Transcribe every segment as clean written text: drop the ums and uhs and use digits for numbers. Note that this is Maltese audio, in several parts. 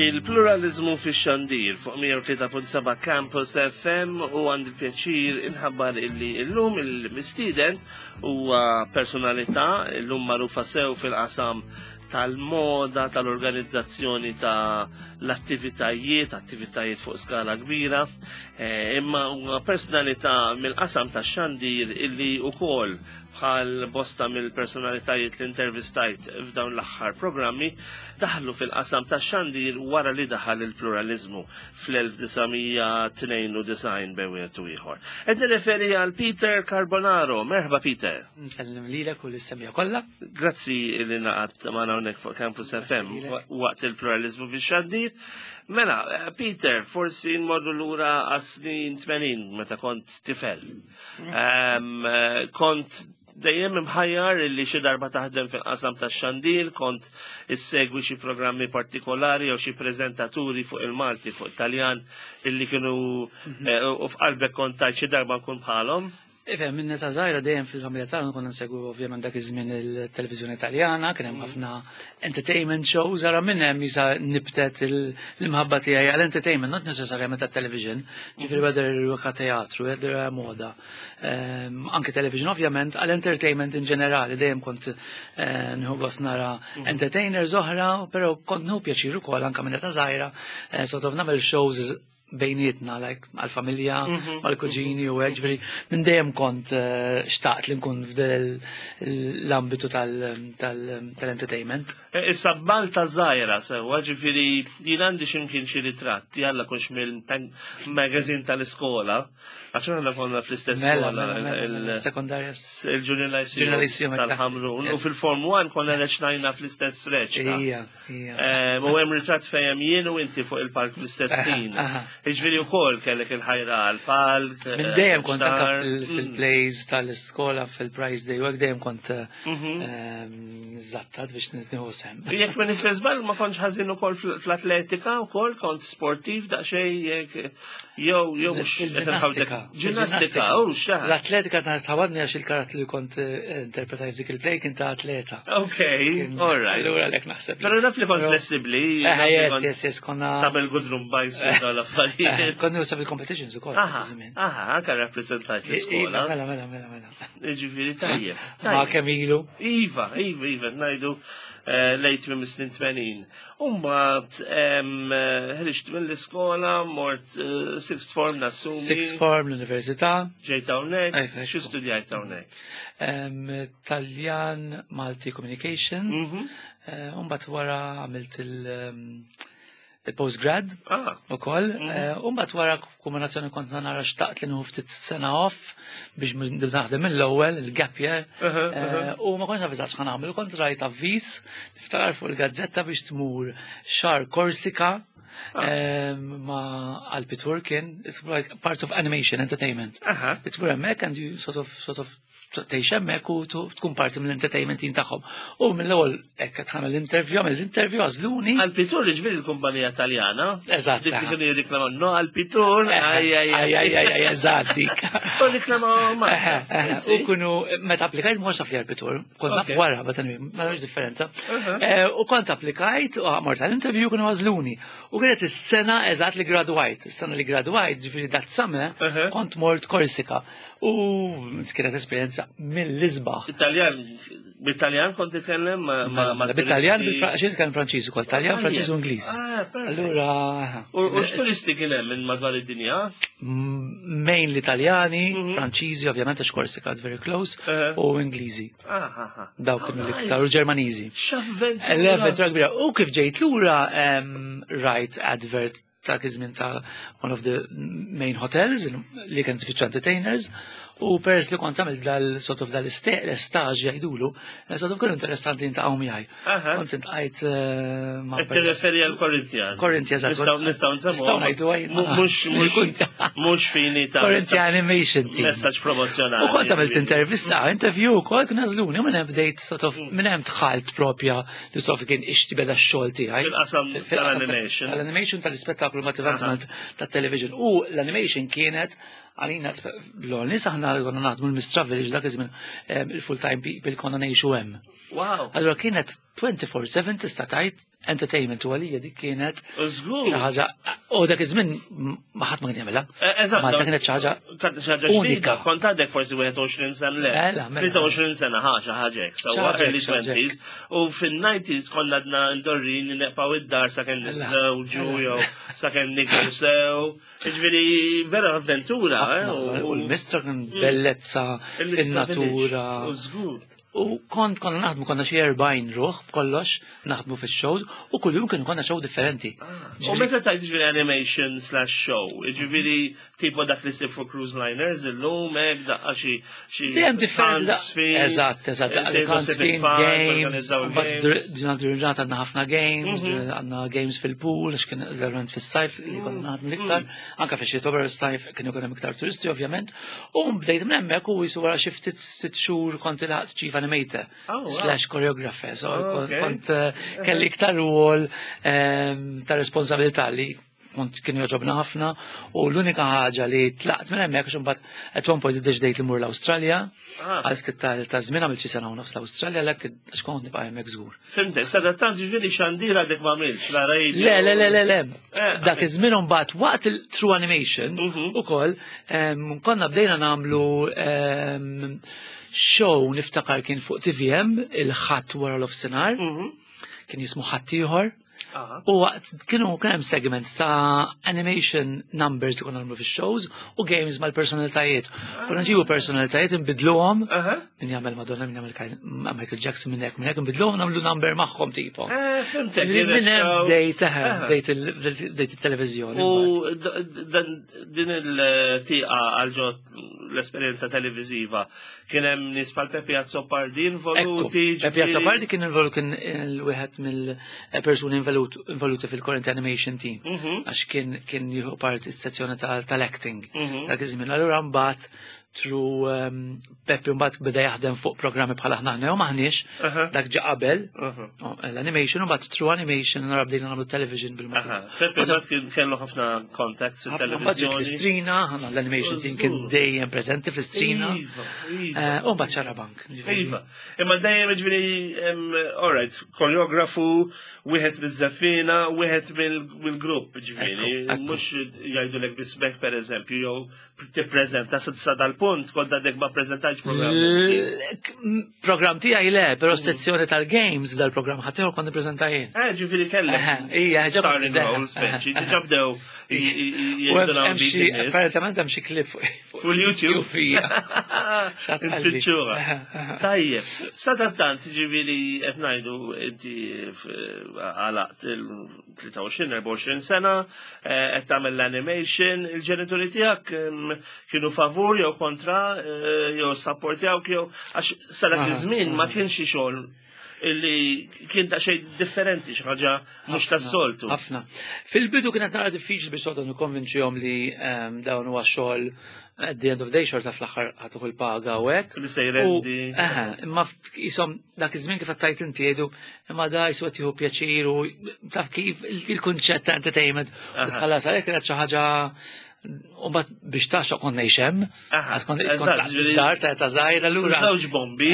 Il-pluralizmu fix-xandir fuq 103.7 Campus FM u għandi pjaċir inħabbar illi illum il-mistieden huwa personalità illum magħrufa sew fil-qasam tal-moda, tal-organizzazzjoni ta' l-attivitajiet, attivitajiet fuq skala kbira, eh, imma huwa personalità mill-qasam tax-xandir illi ukoll bħal bosta mill-personalitajiet li intervistajt f'dawn l-aħħar programmi, daħlu fil-qasam ta' xandir wara li daħal il-pluralizmu fl-1992 bejn wieħed u ieħor. Qed nirreferi għal Peter Carbonaro. Merħba Peter. Nsellim lilek u l-semja kollha. Grazzi li naqat magħna hawnhekk fuq Campus FM waqt il-pluralizmu fix-xandir. Mela, Peter, forsi nmorru lura għas-snin 80 meta kont tifel. Eh, kont dejjem imħajjar li xi darba taħdem fil-qasam tax-xandir, kont issegwi xi programmi partikolari jew xi preżentaturi fuq il-Malti, fuq Taljan illi kienu mhm. eh, u f'qalbek kont tajt xi darba nkun bħalhom. Ifhem, minn ta' żgħira dejjem fil-familja tagħna konna nsegwu ovvjament dak iż-żmien il-televiżjoni Taljana, kien hemm mhm. ħafna entertainment shows, ara minn hemm jisa nibtet l-imħabba tiegħi għal entertainment, not necessarjament tat-television, ġifieri whether huwa teatru, whether moda. Ehm, anke television ovvjament, għal entertainment in ġenerali, dejjem kont eh, nieħu gost nara mhm. entertainers oħra, però kont nieħu pjaċir ukoll anke minn età żgħira, eh, sort of nagħmel shows bejnietna, like, għal-familja, mhm. għal-kuġini u għek, ġveri, minn dejjem kont eh, xtaqt li nkun f'del l-ambitu tal-entertainment. E, issa Malta żgħira sewwa, ġifieri jien għandi x'imkien xi ritratt, jalla kunx mill-magazine tal-iskola, għax aħna konna fl-istess mela, skola. Mela, mela, il-sekondarja. Il-Junior Lyceum tal-Ħamrun. U fil-Form 1 konna reċnajna fl-istess reċta. Ija. Eh, u hemm ritratt fejn jien u inti fuq il-palk fl-istess ħin. Jiġifieri wkoll kellek il-ħajra għall-palk. Minn eh, dejjem kont anke fil-plays tal-iskola fil-prize day u hekk dejjem kont eh, mhm. ehm, żattat biex nieħu sem. Jekk ma nistess żball ma kontx ħażin ukoll fl-atletika wkoll kont sportiv daqsxejn jekk jew jew mhux Ġinnastika. Ġinnastika, u xa. L-atletika ta' tħawadni għax il-karattru li kont eh, interpretaj f'dik il-play kien ta' atleta. Ok, all right. Allura lek naħseb. Pero naf li kont flessibli. Eh, yes, yes, yes, konna. Tabel gudrum bajs eh, dal-affarijiet. Konna nusab il-competitions ukoll. Aha, aha, anka rappresentajt l-iskola. Mela, mela, mela, mela. Ġifieri tajjeb. Ma kemm ilu. Iva, iva, iva, ngħidu lejt minn snin 80. Umbat, ħriġt mill-iskola, mort eh, sixth form nassumi. Sixth form l-università. Ġejt hawnhekk, xi studjajt hawnhekk? Taljan Malti Communications. Mhm. Eh, Umbat wara għamilt il- il-postgrad ah. u koll. Mhm. Eh, Umbat wara kombinazzjoni kont nara xtaqt li nħu ftit sena off biex naħdem mill-ewwel il-gap year. Eh, u ma kontx naf eżatt x'ħan nagħmel, kont rajt avviż niftakar fuq il-gazzetta biex tmur xar Korsika ah. eh, ma Alpi Turkin, it's like part of animation entertainment. Tmur hemmhekk and you sort of sort of tgħix hemmhekk u tkun parti mill-entertainment team tagħhom. U mill-ewwel hekk qed ħamel l-interview, għamel l-interview għażluni. Alpitur ġifieri l-kumpanija Taljana. Eżatt. Dik li kienu jirriklamaw no Alpitur, aj aj aj aj aj eżatt dik. U riklamaw ma. U kienu meta applikajt ma kontx naf li Alpitur, kont naf wara, but anyway, ma nafx differenza. Eh, u kont applikajt u mort għall-interview kienu għażluni. U kienet is-sena eżatt li gradwajt, is-sena li gradwajt, ġifieri dat summer, kont mort Korsika. U kienet esperjenza mill-isbaħ. Italjan, bit-Taljan kont titkellem ma' mela, mela, Bit-Taljan, bil-Franċiż kien Franċiż ukoll, Taljan, ah, Franċiż u Ingliż. Ah, Allura. U x'turisti kien hemm minn madwar id-dinja? Mainly Taljani, mhm. Franċiżi, ovvjament għax Korsika very close, eh. u Ingliżi. Ah, Dawk kienu l-iktar, u Ġermaniżi. X'avventura. L-avventura kbira. U kif ġejt lura rajt advert ta' iż-żmien ta' one of the main hotels li kien tfittxu entertainers u peress li kont għamil dal sort of dal istaġ jgħidulu, eh, sort of kienu interessanti jintaqgħu miegħi. Kont intqajt eh, ma' Tirreferi għal Corinthian. Corinthian, Nistgħu nistgħu nsemmu. Nistgħu ngħidu għaj. Mhux mhux fini ta' Corinthian Animation Team. Messaġġ promozzjonali. U kont għamilt intervista, interview ukoll kien għażluni, minn hemm bdejt sort of mm. minn hemm dħalt propja li sof kien ixti beda x-xogħol tiegħi. Fil-qasam tal-animation. Tal-animation tal-ispettaklu ma eventualment tat-television. U l-animation kienet għalina l-għol aħna konna naħdmu l-Mistra Village dak iż-żmien il-full time people konna ngħixu hemm. Wow. Allora kienet 24/7 tista' tgħid entertainment u għalija dik kienet xi ħaġa u dak iż-żmien ma ħadd ma kien jagħmilha. Eh, eżatt. Malta kienet xi ħaġa unika. Kont għadek forsi 21 sena le. 23 mela. sena ħaġa ħaġa hekk, sewwa early 20s. U fin-90s konna għadna ndorrin neqgħu id-dar sakemm mela. niżżewġu jew sakemm nikbu sew. Ġifieri vera avventura. Eh, u l-mistra kien bellezza fin-natura. U żgur. U kont konna naħdmu konna xi 40 ruħ b'kollox naħdmu fix-shows u kuljum kienu konna show differenti. Ah. U meta tajt ġifieri animation slash show, ġifieri tipo dak li sib fuq cruise liners illum hekk daqqa xi xi. Dejjem differenti. Eżatt, eżatt, daqqa games. Ġurnata ġurnata għandna ħafna games, mhm. għandna games fil-pool, għax kien verament fis-sajf li konna mhm. naħdmu l-iktar, mhm. anka fix-xitwa però sajf kienu kien hemm iktar turisti ovvjament. U bdejt minn hemmhekk u jisu wara xi ftit sitt xhur kont ilħaqt chief animator oh, slash choreographer. So oh, kont eh, kelli iktar rwol ehm, ta' responsabilità li kont kien joġobna ħafna u l-unika ħaġa li tlaqt minn hemmhekk għax imbagħad at one point iddeċidejt li mur l-Awstralja ah. għal ftit ta' żmien għamilt xi sena u nofs l-Awstralja għalhekk għax kont nibqa' hemmhekk żgur. Fimtek, sadattant ġifieri xandir għadek ma għamilx, la radio. Le, le, le, le, le. Eh, Dak iż-żmien imbagħad waqt il-True Animation mhm. ukoll konna bdejna nagħmlu show niftakar kien fuq TVM il-ħadd wara l-ofsinhar. Mhm. Kien jismu ħadd ieħor. U waqt kienu kien hemm segments ta' animation numbers li konna nagħmlu fix-shows u games mal-personalitajiet. Konna nġibu personalitajiet nbidluhom min jagħmel Madonna, min jagħmel Michael Jackson minn hekk, minn hekk nbidluhom nagħmlu number magħhom tipo. Eh, fimtek. Minn hemm bdejt bdejt il-televiżjoni. U din il-tieqa għal ġo l-esperjenza televiżiva kien hemm nies bħal Peppi Azzopardi involuti. Peppi Azzopardi kien involut kien wieħed mill-persuni involuti fil-Current Animation Team mhm. għax kien kien jieħu parti s-sezzjoni tal-acting mhm. dak iż-żmien. Allura mbagħad through um, Peppi mbagħad beda jaħdem fuq programmi bħal aħna aħna jew maħniex, dak ġa qabel oh, l-animation u mbagħad through animation nara bdejna nagħmlu television bil-mod. Peppi mbagħad kien kellu ħafna contacts fit-televiżjoni. Fl-istrina, ħana l-animation team kien dejjem preżenti fl-istrina. Iva, iva. Eh, u mbagħad xarabank. Iva. Imma dejjem ġifieri all right, koreografu, wieħed miż-żeffina, wieħed mill-grupp ġifieri, mhux jgħidulek bismek pereżempju jew tippreżenta sa dal-punt kont għadek ma preżentajx programm. Programm tiegħi le, però mm. sezzjoni tal-games dal-programm ħadd kont nippreżenta jien. Eh, ġifieri kellek. Ija, starring role speċi, diġà bdew Apparentement hemm xi klip fuq YouTube. Infittxuha. Tajjeb, sadattant ġifieri qed ngħidu inti għalaqt 23-24 sena, eh, qed tagħmel l-animation, il-ġenituri tiegħek mm, kienu favur jew kontra eh, jew sapportjawk jew għax sa dak iż-żmien ma kienx xi xogħol illi kien ta' xejn differenti xi ħaġa mhux tas-soltu. Ħafna. Fil-bidu kienet nara diffiċli biex sodu nikkonvinċihom li ehm, dawn huwa xogħol at the end of the day xorta fl-aħħar ħatuħ il-paga u hekk. Li se jrendi. Imma jisom dak iż-żmien kif qed inti jgħidu imma da jisu qed jieħu pjaċir u taf kif il-kunċett ta' entertainment u tħallas għalhekk kienet xi ħaġa u bat biex taxxa kont ngħix hemm, għad kont dar ta' ta' żgħira lura. Żewġ bombi.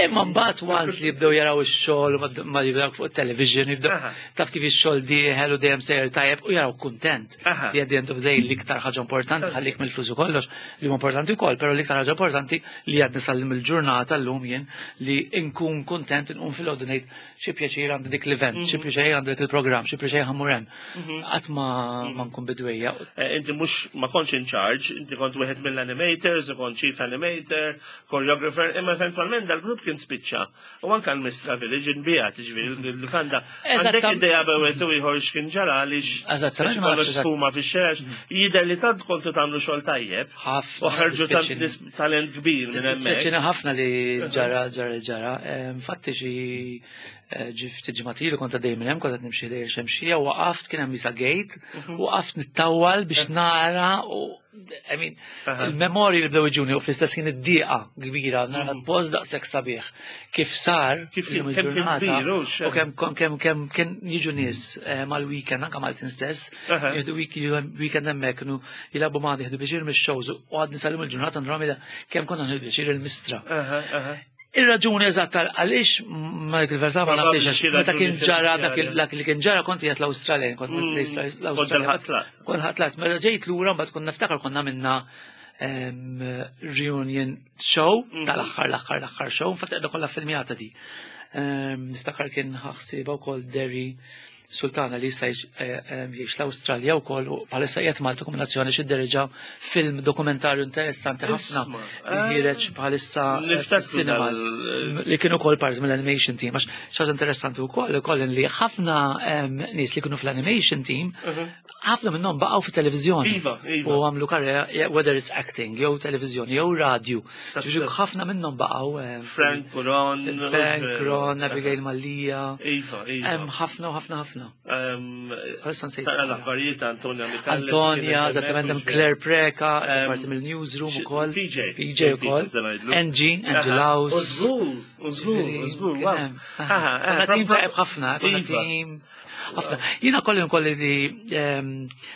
Imma mbagħad once li jibdew jaraw ix-xogħol ma jibdew fuq it-television, jibdew taf kif ix-xogħol dieħel u dejjem sejjer tajjeb u jaraw kuntent. Li at the end of the day l-iktar ħaġa importanti ħallik mill-flus u kollox li huwa importanti wkoll, però l-iktar ħaġa importanti li għadni sal il-ġurnata llum jien li nkun kuntent nqum fil-għodu ngħid xi pjaċir għandi dik l-event, xi mhm. pjaċir għandi dik il-programm, xi pjaċir ħammur hemm. Mhm. Qatt ma mhm. nkun bidwejja. Eh, inti mhux ma kontx in charge, inti kont wieħed mill-animators, u kont chief animator, choreographer, imma eventwalment dal-grupp kien spiċċa. U anka l-Mistra Village inbijat, ġifieri l-lukanda. Għandek idea bewet u ieħor x'kien ġara għaliex Eżattament, kollox sfuma fix-xex, jidher li tant kontu tagħmlu xogħol tajjeb. Ħafna. U ħarġu tant talent kbir minn hemmhekk. Dispjaċina ħafna li ġara ġara ġara. Infatti xi eh, ftit ġimgħat ilu kont għaddej minn hemm, kont qed nimxi ħdejja xemxija, waqaft kien hemm isa gate, mhm. waqaft nittawwal biex nara u I mean, il-memorji li bdew iġuni u fl-istess kien id-diqa kbira, nara mhm. post daqshekk sabiħ. Kif sar, kif kien il-ġurnata, u kemm kemm kemm kien jiġu nies eh, mal-weekend, anke Maltin stess, jieħdu weekend hemmhekk kienu jilagħbu ma' jieħdu biex mix-shows u għadni salim il-ġurnata nramila kemm konna nieħdu biex il-mistra. Ir-raġuni eżatt għaliex Michael Verta ma nafx meta kien ġara dak li kien ġara kont qiegħed l-Awstralja, kont l-Awstralja. Kont ħatlat, meta ġejt lura mbagħad kont niftakar konna minna reunion show mhm. tal-aħħar l-aħħar l-aħħar show, infatti qiegħda kollha filmjata di. Niftakar kien ħaħsiba wkoll Derry Sultana li jista' eh, eh, jgħix l-Awstralja wkoll u bħalissa qiegħed Malta kombinazzjoni xi derġa film dokumentarju interessanti ħafna li ħireġ bħalissa eh, cinemas li kienu wkoll parti mill-animation team għax xaġa interessanti wkoll ukoll li ħafna nies li kienu fl-animation team mhm. ħafna minnhom baqgħu fit-televiżjoni. Iva, iva. U għamlu karriera whether it's acting jew televiżjoni jew radju. Ħafna minnhom baqgħu. Eh, Frank Ron. Frank Ron, Abigail Mallia. Iva, iva. Hemm ħafna u ħafna ħafna. Bħalissa nsejt. Tara l-aħbarijiet Antonia Mikallef. Antonia, eżattament hemm Claire Preka, parti mill-newsroom ukoll. PJ. PJ ukoll. Angie, Angie Laus. Użgur, użgur, użgur. Konna tim tajb ħafna, konna iva. tim. Ħafna. Jiena kolli nkolli li ehm,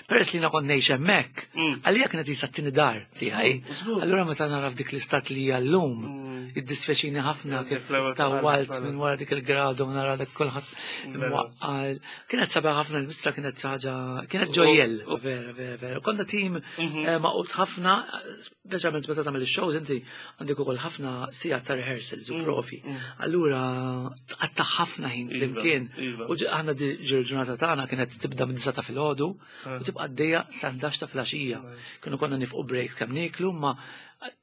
peress li jiena kont ngħix hemmhekk, mm. għalija kienet jisa t-tieni dar tiegħi. Allura meta nara f'dik l-istat li hija llum, mm. id-disfeċini ħafna kif tawwalt minn wara dik il-gradu nara dak kulħadd mwaqqal. Kienet sabiħ ħafna l-mistra kienet ħaġa kienet ġojjel. Vera, vera, vera. Konna tim mhm. eh, maqut ħafna, Speċjalment meta tagħmel ix-shows inti għandek ukoll ħafna sigħat ta' rehearsals u mm, profi. Mm. Allura tqatta' ħafna ħin iva, flimkien. Iva. U aħna ġurnata tagħna kienet tibda minn ta' filgħodu u eh. tibqa' għaddejja sa 11 ta' filgħaxija. Kienu konna nifqu break kemm nieklu ma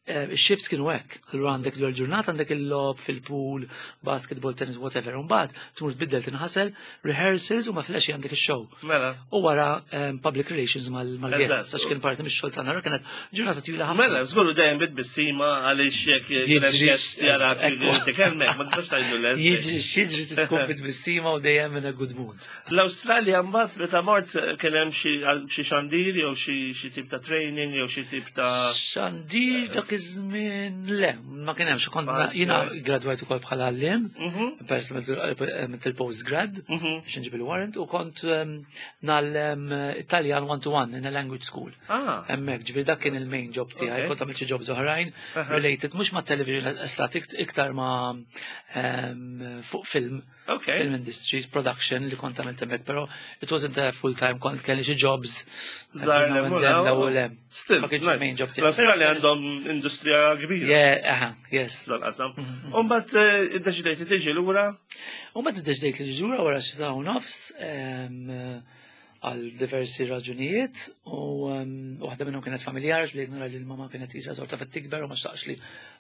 eh, ix-shifts kienu hekk. Allura għandek l-ġurnata għandek il-lob fil-pool, basketball, tennis, whatever. Mbagħad tmur tbiddel tinħasel, rehearsals u ma filgħaxija għandek ix-show. Mela. U wara ehm, public relations mal-guests, għax kien parti mix-xogħol tagħna, kienet ġurnata twila ħafna. Mela, żgur dejjem bit-bissima għaliex jekk jiġri jarak tikellmek, ma tistax tgħidlu le. Jiġri jiġri tkun bit-bissima u dejjem in a good mood. L-Awstralja mbagħad meta mort kien hemm xi xandir jew xi tip ta' training jew xi tip ta' Xandir dak iż-żmien le, ma kien hemmx kont jiena gradwajt ukoll bħala għalliem, mhm. peress il-postgrad, mhm. biex nġib il-warrant, u kont ehm, nallem eh, Italjan one to one in a language school. Ah. Hemmhekk, ġifieri dak kien il-main job tiegħi, kont għamilt xi jobs oħrajn related mhux ma' television estat iktar ma' ehm, fuq film. Okay. Film industry, production li kont għamilt hemmhekk, però it wasn't a full time, kont kelli xi jobs. Żgħar l Still, ma kienx main job tiegħi. L-Awstralja għandhom industrija kbira. Yeah, aha, yes. Dal-qasam. Mm-hmm. U mbagħad eh, iddeċidejt li tiġi lura? U mbagħad iddeċidejt li tiġi lura wara xi u nofs għal diversi raġunijiet u waħda minnhom kienet familjari bdejt nara li l-mama kienet isa sorta fit tikber u ma xtaqx li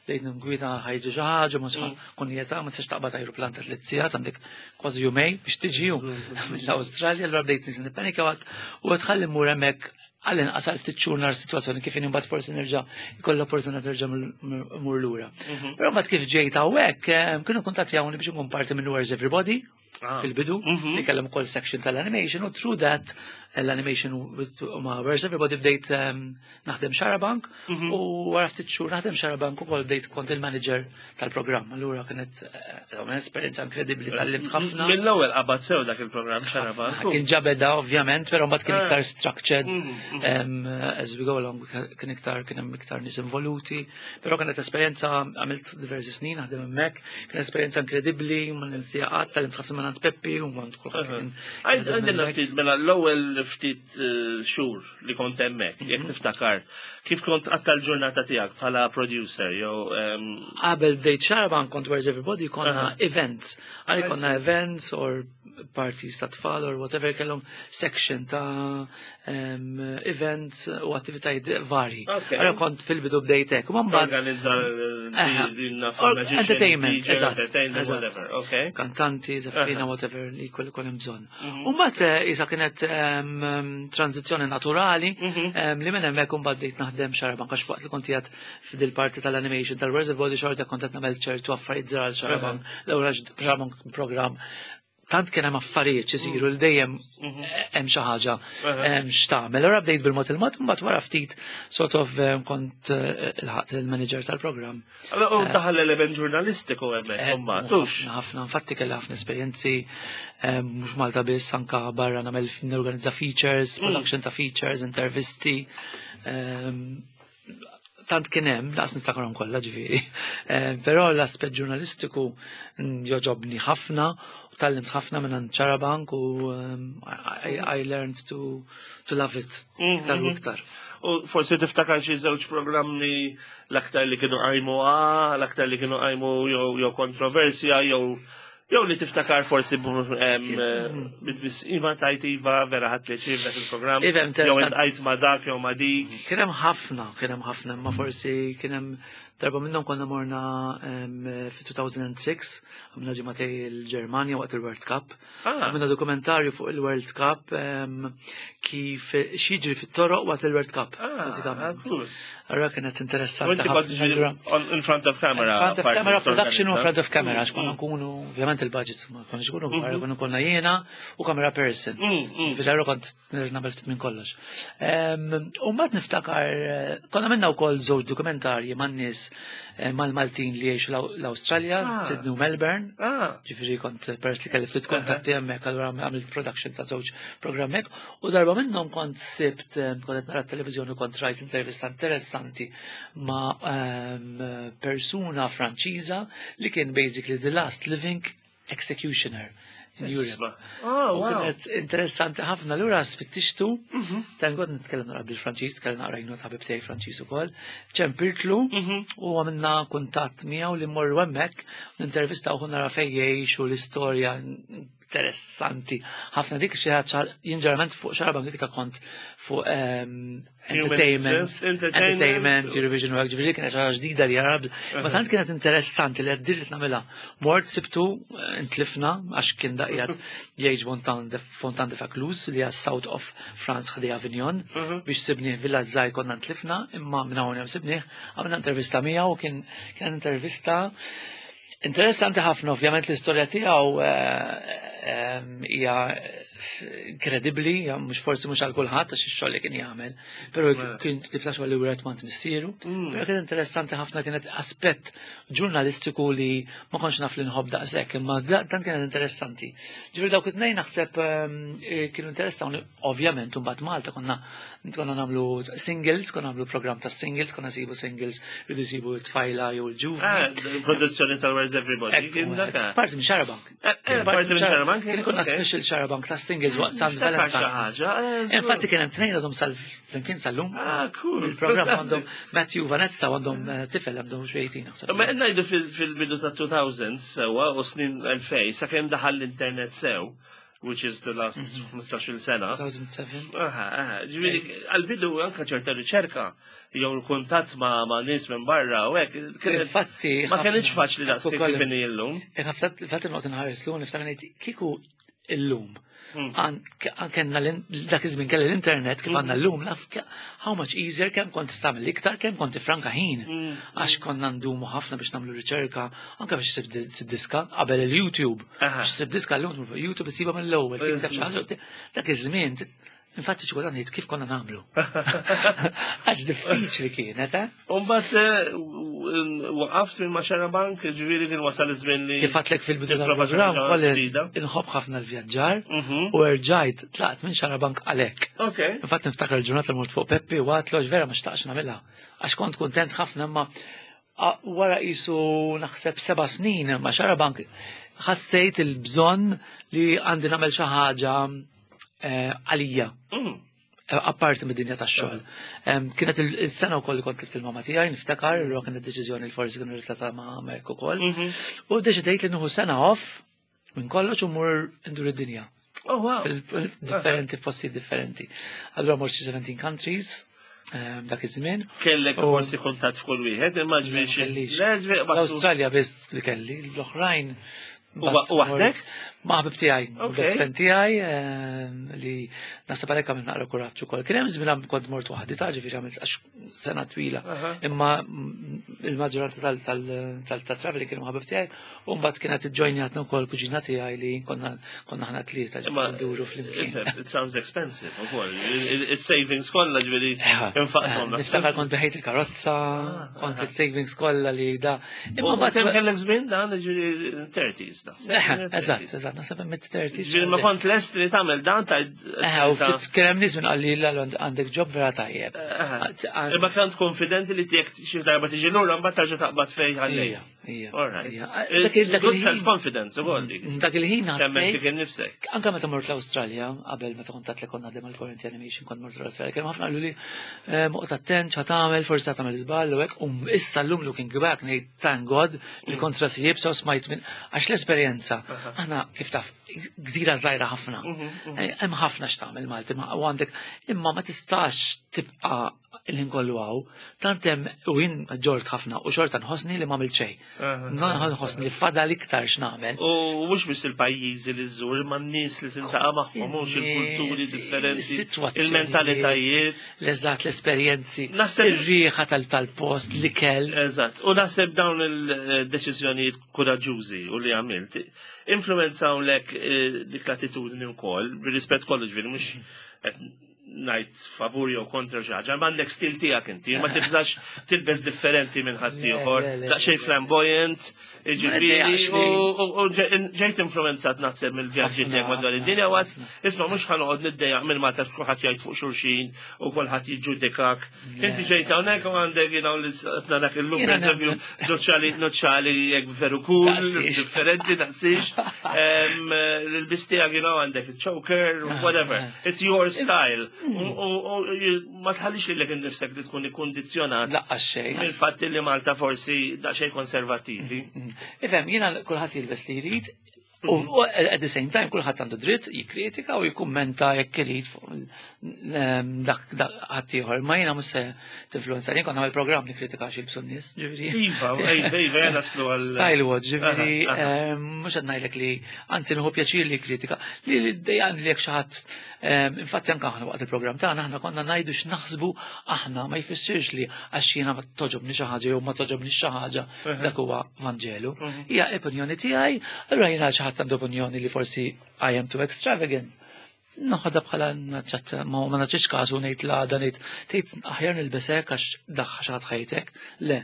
bdejt ngwita ħajġu xi ħaġa ma mm. kunjeta ma tistax taqbad ajruplan ta' tliet sigħat għandek kważi jumej biex tiġi mm. mill-Awstralja allura bdejt nisin nippanika u għad ħalli mmur hemmhekk għall-inqas għal ftit xhur nar situazzjoni kif imbagħad forsi nerġa' jkoll opportunità nerġa' mur lura. Mhm. Però mbagħad kif ġejt hawnhekk kienu kuntattjawni biex inkun parti minn Where's Everybody ah. fil-bidu, mhm. li kellhom ukoll section tal-animation u through that l-animation ma' Where's Everybody bdejt naħdem Xarabank mhm. u wara ftit xhur naħdem Xarabank ukoll bdejt kont il-manager tal-programm. Allura kienet eh, esperjenza inkredibbli tal-limt ħafna. Mill-ewwel qabad sew dak il-programm Xarabank. Kien ġabeda ovvjament, però mbagħad kien ah. iktar structured mhm, as we go along kien iktar kien hemm iktar nies involuti, però kienet esperjenza għamilt diversi snin naħdem hemmhekk, kienet esperjenza inkredibbli, ma ninsija qatt tal-limt ħafna minn Peppi u ma kulħadd. Għandna ftit mela l-ewwel ftit eh, xhur li kont hemmhekk, jekk mhm. niftakar, kif kont għatta l-ġurnata tiegħek bħala producer jew Qabel bdejt xaraban kont Where's Everybody konna events. Għalli konna events or parties ta' tfal or whatever kellhom section ta' events u attivitajiet vari. Allora kont fil-bidu bdejt hekk. U mbagħad organizza entertainment, eżatt. Kantanti, zaffina, whatever li kollu kien hemm bżonn. Mhm. U mbagħad eh, isa kienet tranzizzjoni naturali mhm. li minn hemmhekk imbagħad bdejt naħdem xarabank għax waqt li kont qiegħed f'dil parti tal-animation tal-Where's Body xorta kont qed nagħmel ċertu affarijiet żgħar għal xarabank. L-ewwel xarabank programm tant kien hemm affarijiet xisiru li dejjem mhm. hemm xi ħaġa x'tagħmel. Allura bdejt bil-mod il-mod, mbagħad wara ftit sort of kont eh, il-ħadd il-manager tal-programm. U eh, daħal element ġurnalistiku hemmhekk eh, mbagħad. Ħafna, infatti kelli ħafna esperjenzi eh, mhux Malta biss anka barra nagħmel norganizza features, mm. production ta' features, intervisti. Tant kien hemm, laqas niftakarhom kollha ġifieri. Però l-aspett ġurnalistiku joġobni ħafna u tgħallimt ħafna minn Xarabank u I learned to love it iktar u iktar. U forsi tiftakar xi żewġ programmi l-aktar li kienu qajmu l-aktar li kienu qajmu jew kontroversja jew li tiftakar forsi bit-tbissima tajt iva vera ħadt pjaċir dak il-programm. Iva, Jew interessanti. iltqajt ma' dak jew ma' dik. Kien hemm ħafna, kien hemm ħafna, imma forsi kien hemm darba minnhom konna morna fi 2006, għamilna ġimagħtejn il-Ġermanja waqt il-World Cup. Għamilna dokumentarju fuq il-World Cup kif x'jiġri fit-toroq waqt il-World Cup, bażikament. Allura kienet interessanti U inti kont ħafna. ġifieri in front of camera. In front of parti camera production u in torganizza. front of camera, għax konna nkunu, ovvjament il-budgets ma konniex nkunu kbar, konna konna jiena u camera person. Fil-għarru kont nagħmel ftit minn kollox. U mbagħad niftakar, konna minna wkoll żewġ dokumentarji man-nies mal-Maltin li jgħixu l-Awstralja, Sydney u Melbourne. Ġifieri kont peress li kelli ftit kuntatti hemmhekk, allura għamilt production ta' żewġ programm hekk. U darba minnhom kont sibt, kont qed nara t-televiżjoni, kont rajt intervista interessanti ma' persuna Franċiża li kien basically the last living executioner in Europe. Isma. Oh, U wow. kienet interessanti ħafna lura spittixtu, tan kont nitkellem naqra bil-Franċiż, kellem naqra jnut ħabib tiegħi Franċiż ukoll, ċempiltlu u għamilna kuntatt miegħu li mmorru hemmhekk, nintervista u nara fejn jgħix u l-istorja interessanti. Ħafna dik xi ħaġa jien ġeneralment fuq Xarabank dik ta' kont fuq entertainment, interest, entertainment. entertainment, Eurovision u hekk, ġifieri kienet ħaġa ġdida li jarab. Ma tant kienet interessanti li għaddir li nagħmilha. Mort sibtu intlifna għax kien daqjat jgħix Fontaine de Vaucluse li hija South of France ħdej Avignon biex sibnieh villa żgħir konna ntlifna imma minn hawn hemm sibnieh għamilna intervista miegħu u kien intervista interessanti ħafna, ovvjament l-istorja tiegħu hija inkredibbli, hija mhux forsi mhux għal kulħadd għax ix-xogħol li kien jagħmel, però kien tip ta' xogħol li wieħed mant missieru. Però kien interessanti ħafna, kienet aspett ġurnalistiku li ma kontx naf li nħobb daqshekk, imma dan kienet interessanti. Ġifieri dawk it-tnejn naħseb kienu interessanti, ovvjament imbagħad Malta konna nagħmlu singles, konna nagħmlu programm ta' singles, konna nsibu singles, rridu jsibu t-tfajla jew l-ġuvni. Ah, produzzjoni tal Where's Everybody. Ekku, Kien dak. Parti minn Xarabank. Parti minn Xarabank, Kien ikun special Xarabank ta' singles waqt San Niftakar xi Valentine's. ħaġa, żgur. Infatti kien hemm tnejn għadhom sal flimkien sal-lum. Ah, cool. Il-programm għandhom Matthew u Vanessa għandhom tifel għandhom xi 18 naħseb. Ma ngħidu fil-bidu ta' 2000s sewa u snin 2000 sakemm daħal l-internet sew, which is the last 15-il sena. 2007. Aha, ġifieri, għal-bidu anka ċerta riċerka, jew l-kuntatt ma' nies minn barra u hekk. Infatti, ma ħafna- kienx faċli daqs Ekku kif kollu. kif inhi llum. Infatti noqgħod inħares lum niftakar ngħid kieku illum. An kellna dak iż-żmien kelli l-internet kif għandna llum, naf how much easier kemm kont tagħmel iktar, kemm kont tifranka ħin. Għax konna ndumu ħafna biex nagħmlu riċerka, anke biex ssib diska qabel il-YouTube. Biex ssib diska llum fuq YouTube issibha mill-ewwel, tikteb xi ħaġa, dak iż-żmien infatti xi kultant ngħid kif konna nagħmlu. Għax diffiċli kienet, eh? U mbagħad waqaft minn ma' Xarabank, ġifieri kien wasal iż-żmien li. Kif għedtlek fil-bidu Tipprova xi tal-programm, ħaġa kolli ġdida. inħobb ħafna l-vjaġġar u rġajt tlaqt minn Xarabank għalhekk. Infatti niftakar il-ġurnata mort fuq Peppi u għedtlu għax vera ma xtaqx nagħmilha. Għax kont kuntent ħafna imma wara qisu naħseb 7 snin ma' Xarabank ħassejt il-bżonn li għandi nagħmel xi ħaġa għalija. Apparti mid-dinja tax-xogħol. Kienet il-sena wkoll li kont tlift il-mama tiegħi, niftakar, li kienet deċiżjoni li forsi kienu relatata ma' Merk ukoll. U deċidejt li nieħu sena off minn kollox u mur ndur id-dinja. Oh, wow. Differenti, posti differenti. Allura mort xi 17 countries dak iż-żmien. Kellek forsi kuntatt f'kull wieħed, imma ġifieri Ma kellix. Le, ġifieri, L-Awstralja biss li kelli, l-oħrajn U waħdek? Ma' ħabib tiegħi, best friend tiegħi li naħseb għalhekk għamilt naqra kuraġġ ukoll. Kien hemm żmien kont mort waħdi ta' ġifieri għamilt għax sena twila. Imma il-maġġoranza tal-traveling kienu ħabib tiegħi, u mbagħad kienet iġġojnjatna wkoll kuġina tiegħi li konna konna ħna tlieta nduru flimkien. It sounds expensive ukoll. Il-savings kollha ġifieri infaqthom. Niftakar kont beħejt il-karozza, ah, kont ah. il-savings kollha li da. Imma mbagħad kemm kellek żmien dan ġifieri 30s da. Eżatt, eżatt, naħseb mid-30s. Ġifieri ma kont lest li tagħmel dan ta' u ftit kien hemm nies minn qalli għandek ġob vera tajjeb. Imma kont konfidenti li tiegħek xi darba tiġi lura mbagħad terġa' taqbad fejn ħallejt. Ija. All right. Good self-confidence ukoll dik. Mm, dak il-ħin ħassejt. Dik innifsek. Anka meta mort l-Awstralja, qabel meta kont li konna naħdem għal-Current Animation, kont mort l-Awstralja, kien ħafna qalu li eh, moqgħod attent x'ha tagħmel, forsi tagħmel żball u hekk, u issa llum looking back ngħid thank God li mm. kont rasi jibsa u smajt minn għax l-esperjenza. Aħna kif taf gżira żgħira ħafna. Mhm, mhm. Eh, hemm ħafna x'tagħmel Malti u għandek imma ma tistax tibqa' il-ħin kollu hawn, tant hemm u jien ġort ħafna u xorta nħossni li m'għamilt xejn. Nħossni li fadal iktar x'nagħmel. U mhux biss il-pajjiżi li żżur, imma n-nies li tintaqa' magħhom, mhux il-kulturi differenti, il-mentalitajiet. L-eżatt l-esperjenzi, ir-riħa tal-post, l-ikel. Eżatt, u naħseb dawn il-deċiżjonijiet kuraġġużi u li għamilt, influenzawlek eh, dik l-attitudni wkoll, bir-rispett kollu ġifieri mhux ngħid favur jew kontra xi ħaġa, ma għandek stil tiegħek inti, ma tibżax tilbes differenti minn ħaddieħor, daqsxejn flamboyant, jiġifieri u ġejt influenzat naħseb mill-vjaġġi tiegħek madwar id-dinja għad isma' mhux ħanoqgħod niddejjaq minn Malta kulħadd jgħid fuq xulxin u kulħadd jiġġudikak. Inti ġejt hawnhekk u għandek you know narak illum pereżempju noċċali noċċali jekk veru cool, differenti daqsix. Il-bis tiegħek you know għandek il-choker, whatever. It's your style. U ma tħallix lilek innifsek li tkun ikkundizzjonat. Laqqas xejn. Mill-fatt li Malta forsi daqsxejn konservattivi. Mm, mm. Ifhem, jiena kulħadd jilbes li jrid, U at the same time kulħadd għandu dritt jikkritika u jikkummenta jekk irid fuq ehm, dak ħadd ieħor. Ma jiena mhux se tinfluenza jien kont nagħmel programm li kritika xi jilbsu n-nies, ġifieri. Iva, iva, iva, naslu għal. Style watch, ġifieri ehm, mhux qed ngħidlek li anzi nieħu pjaċir li kritika li dejjem li jekk xi ħadd ehm, infatti anke aħna waqt il-programm tagħna aħna konna ngħidu x'naħsbu aħna ma jfissirx li għax jiena ma toġobni xi ħaġa jew ma toġobni xi ħaġa dak huwa Vanġelu. Mhm. Hija opinjoni tiegħi, allura jiena xi ħadd għandu opinjoni li forsi I am too extravagant. Noħodha bħala naċċat ma ma naċċiex każu ngħid la għada ngħid tgħid aħjar nilbesek għax daħħa xi ħadd ħajtek. Le,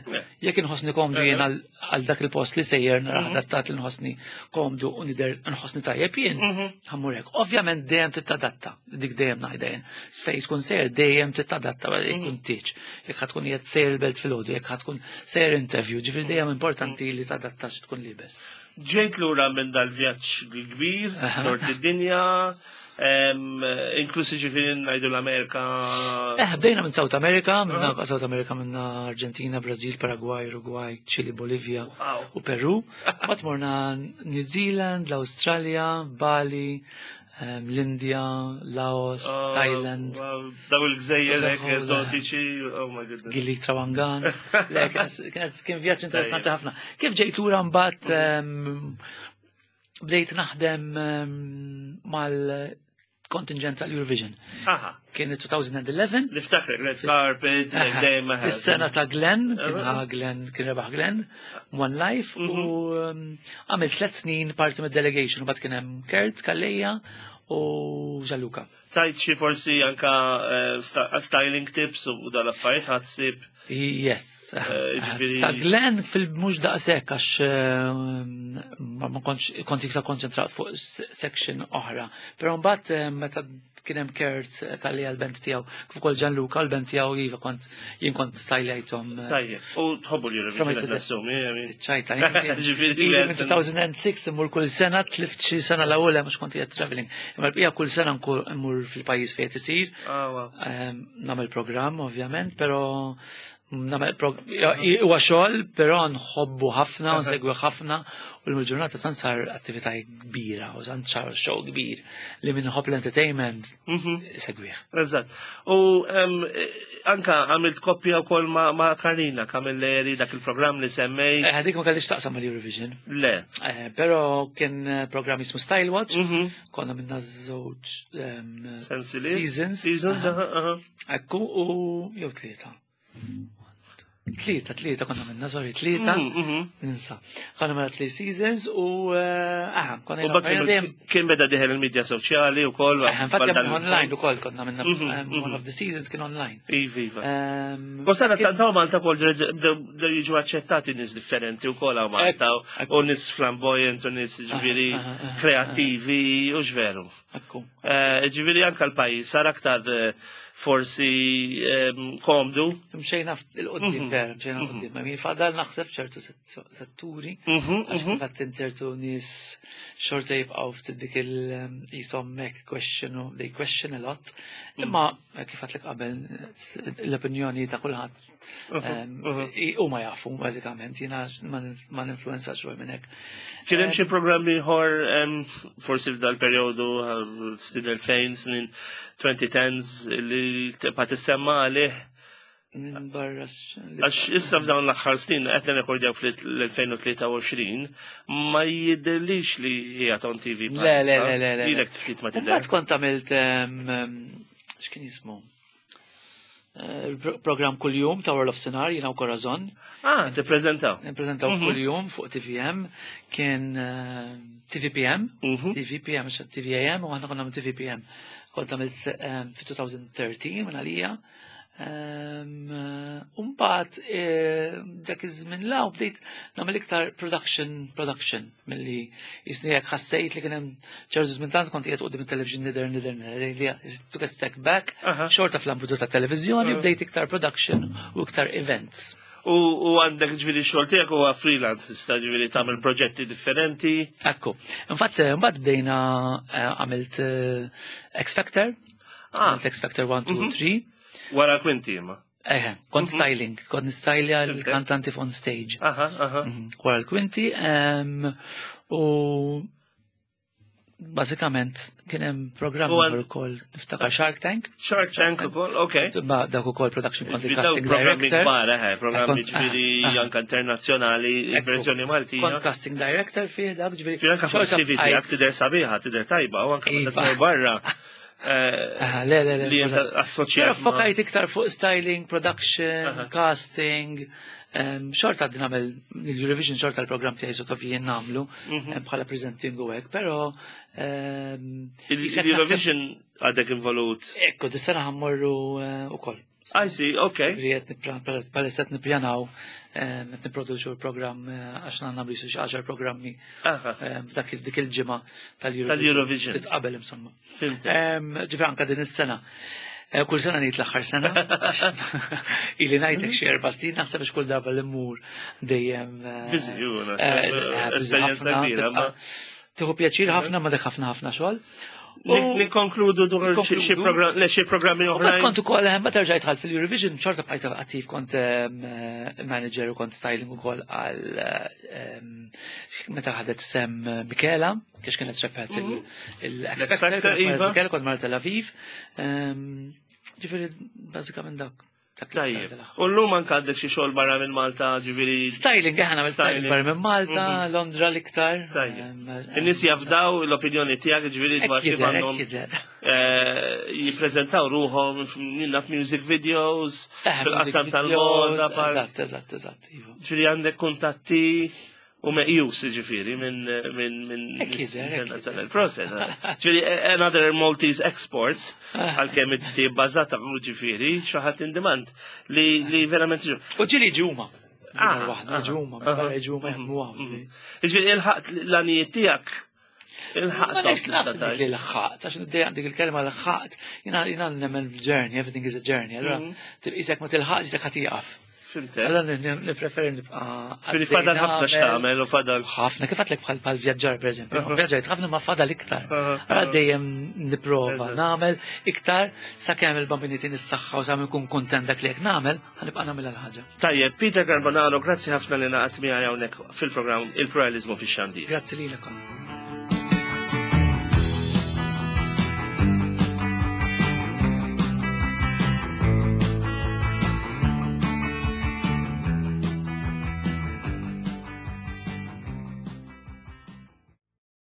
jekk inħossni komdu jien għal dak il-post li sejjer nara mhm. adattat li nħossni komdu u nidher nħossni tajjeb jien, mhm. ħammur hekk. Ovvjament dejjem titadatta, dik dejjem ngħidha jien. Fejn tkun sejjer dejjem titadatta jkun tieġ. Jekk ħa tkun qiegħed sejjer il-belt filgħodu, jekk ħa tkun sejjer interview, ġifieri dejjem importanti li tadatta tkun libes. Ġejt lura minn dal-vjaġġ kbir, dort id-dinja, inklusi ġifieri ngħidu l-Amerika. Eh, bdejna minn South America, minn South America minn Argentina, Brazil, Paraguay, Uruguay, Chile, Bolivia u Peru. Mbagħad morna New Zealand, l-Awstralja, Bali, l-Indja, Laos, oh, Thailand. Daw il-gżejjer hekk eżotiċi, oh my goodness. Gili Trawangan. Le, kien vjaġġ interessanti ħafna. Kif ġejt lura mbagħad bdejt naħdem mal-kontingent tal-Eurovision. Kien 2011. Niftakrek, red carpet, dejjem. Is-sena ta' Glenn, kien Glenn, kien rebaħ Glenn, One Life, u mhm. għamil tlet snin parti mid-delegation, u bat kien hemm Kurt Kalleja u Gianluca. Tajt xi forsi anka eh, styling tips u dal-affarijiet ħadsib. Yes. Eh, ta' Glenn fil-mux daqsek għax eh, ma kontx kont iktar konċentrat fuq section oħra. Però mbagħad meta kien hemm Kurt eh, tal-li għal-band tiegħu, kif ukoll Gianluca għal-band tiegħu iva kont jien kont stajlejthom. Eh. Tajjeb, u tħobbu li Eurovision nassumi. Ċajta, minn 2006 immur kull sena tlift xi sena l-ewwel mhux kont qiegħed traveling. Imma l-bqija kull sena mmur fil-pajjiż fejn isir. Ah, ehm, nagħmel programm ovvjament, però Huwa xogħol, però nħobbu ħafna, nsegwi ħafna u l-ġurnata tant sar attività kbira u tant sar show kbir li minn ħobb l-entertainment mhm. segwih. Eżatt. U anka għamilt koppja wkoll ma' Karina Camilleri dak il-programm li semmej. Eh, dik ma kellix taqsam mal-Eurovision. Le. Eh, però kien eh, programm jismu Style Watch, mhm. konna minna żewġ seasons. Seasons, Ekku u jew tlieta. Tlieta, tlieta konna minna, sorry, tlieta. Ninsa. Konna minna three seasons u aha, konna minna. Kien beda diħel il-medja soċjali u koll. Infatti online u koll konna minna, one of the seasons kien online. Iva, iva. U sena tantaw Malta kol bdew jiġu aċċettati nis differenti u koll għaw Malta u nis flamboyant u nis ġviri kreativi u ġveru. Ġifieri anke l-pajjiż sar aktar forsi komdu. Mxejna il-qoddim, vera, mxejna l-qoddim. Ma min fadal naħseb ċertu setturi, għax fatt ċertu nies xorta jibqgħu ftit dik il-jisom mek question, they question a lot. Imma kif għatlek qabel l-opinjoni ta' kulħadd huma jafu bażikament jiena ma ninfluenzax ruħi minn hekk. Kien hemm xi programm ieħor forsi f'dal perjodu snin 2000 snin 2010s li tibqa' tissemma għalih Minn barra. Għax issa f'dawn l-aħħar snin qed nirrekordjaw fl-2023 ma jidhirlix li hija on TV. Le, le, le, le, le. Lilek ftit ma tidher. Mbagħad kont għamilt x'kien jismu? Program kull-jum ta' World of Sinar, jina u Corazon. Ah, tippreżentaw. Nippreżentaw kull-jum fuq TVM, kien TVPM, TVPM, TVAM, u għanna konna TVPM. Kont għamilt fi 2013 minn għalija. Umbat, dak iż-żmien law bdejt nagħmel iktar production, production milli jisni jekk ħassejt li kien hemm ċertu żmien tant kont qiegħed quddiem it-television nidher nidher nidher li took a step back, xorta fl-ambitu ta' televiżjoni bdejt iktar production u iktar events. U għandek ġifieri xogħol tiegħek huwa freelance issa ġifieri tagħmel proġetti differenti. Ekku. Infatti mbagħad bdejna għamilt X Factor. Għamilt X Factor 1, 2, 3. Wara Kwinti imma. Eħe, kont styling, kont nistylja l-kantanti on stage. Wara l-Kwinti, u bażikament kien hemm programm ukoll niftakar Shark Tank. Shark Tank ukoll, ok. Ma dak ukoll production kont casting programmi director. Kbar, eħe, programmi ġifieri anke internazzjonali, verżjoni Maltija. Kont casting director fih dak ġifieri. Ġifieri anke fuq CV tiegħek tidher sabiħa, tidher tajba, u anke meta barra. Le, le, le. Li assoċjat. Però fokajt iktar fuq styling, production, casting. Xorta għaddi nagħmel l-Eurovision xorta l-programm tiegħi sort of jien nagħmlu bħala presenting u hekk, però Il-Eurovision għadek involut. Ekku, dis-sena ħammorru ukoll. I see, okay. Palissa qed nippjanaw qed nipproduċu l-programm għax nagħmlu xi għaxar programmi f'dak dik il-ġimgħa tal-Eurovision. Titqabel insomma. Ġifieri anke din is-sena. Kull sena ngħid l-aħħar sena. Ili ngħidlek xi erba' snin naħseb biex kull darba li mmur dejjem. Busy, esperjenza kbira. Tieħu pjaċir ħafna ma dak ħafna ħafna xogħol. Nikkonkludu dwar xi programmi oħra. Kont ukoll ma terġa' dħalt fil-Eurovision, xorta bqajt attiv kont manager u kont styling ukoll għal meta ħadet sem Michela, kiex kienet rebħet il-X Factor, Michela kont mar Tel Aviv. Ġifieri bażikament dak. Tajjeb. U llum anke għandek xi xogħol barra minn Malta, ġifieri. Styling, aħna nagħmel styling barra minn Malta, Londra l-iktar. Tajjeb. In-nies jafdaw l-opinjoni tiegħek ġifieri dwar kif għandhom jippreżentaw ruħhom f'music videos, fil-qasam tal-moda. Eżatt, eżatt, eżatt. Iva. Ġifieri għandek kuntatti u meqjus ġifieri minn internazzjonal process. Ġifieri another Maltese export għalkemm inti bbażata ġifieri xi ħadd in demand li verament ġu. U ġieli ġuma. Ġuma, ġuma jaħdmu hawn. Ġifieri ilħaqt l-għanijiet tiegħek. Ilħaqt. Ma nafx naħseb li l-ħaqt, għax nidej dik il-kelma l-ħaqt, jiena nemmen journey, everything is a journey, allura tibqisek ma tilħaqx isek ħa tieqaf. Allora nippreferi nibqa'. Fili fadal ħafna x'tagħmel u fadal. Ħafna, kif għatlek bħal bħal vjaġġar pereżempju. Vjaġġajt ħafna ma fadal iktar. Allora dejjem nipprova nagħmel iktar sakemm il-bambini tin is-saħħa u sa nkun kuntent dak li jekk nagħmel, ħanibqa' nagħmel l-ħaġa. Tajjeb, Peter Carbonaro, grazzi ħafna li naqat miegħi hawnhekk fil-programm Il-Pluralizmu fix-Xandir. Grazzi lilek.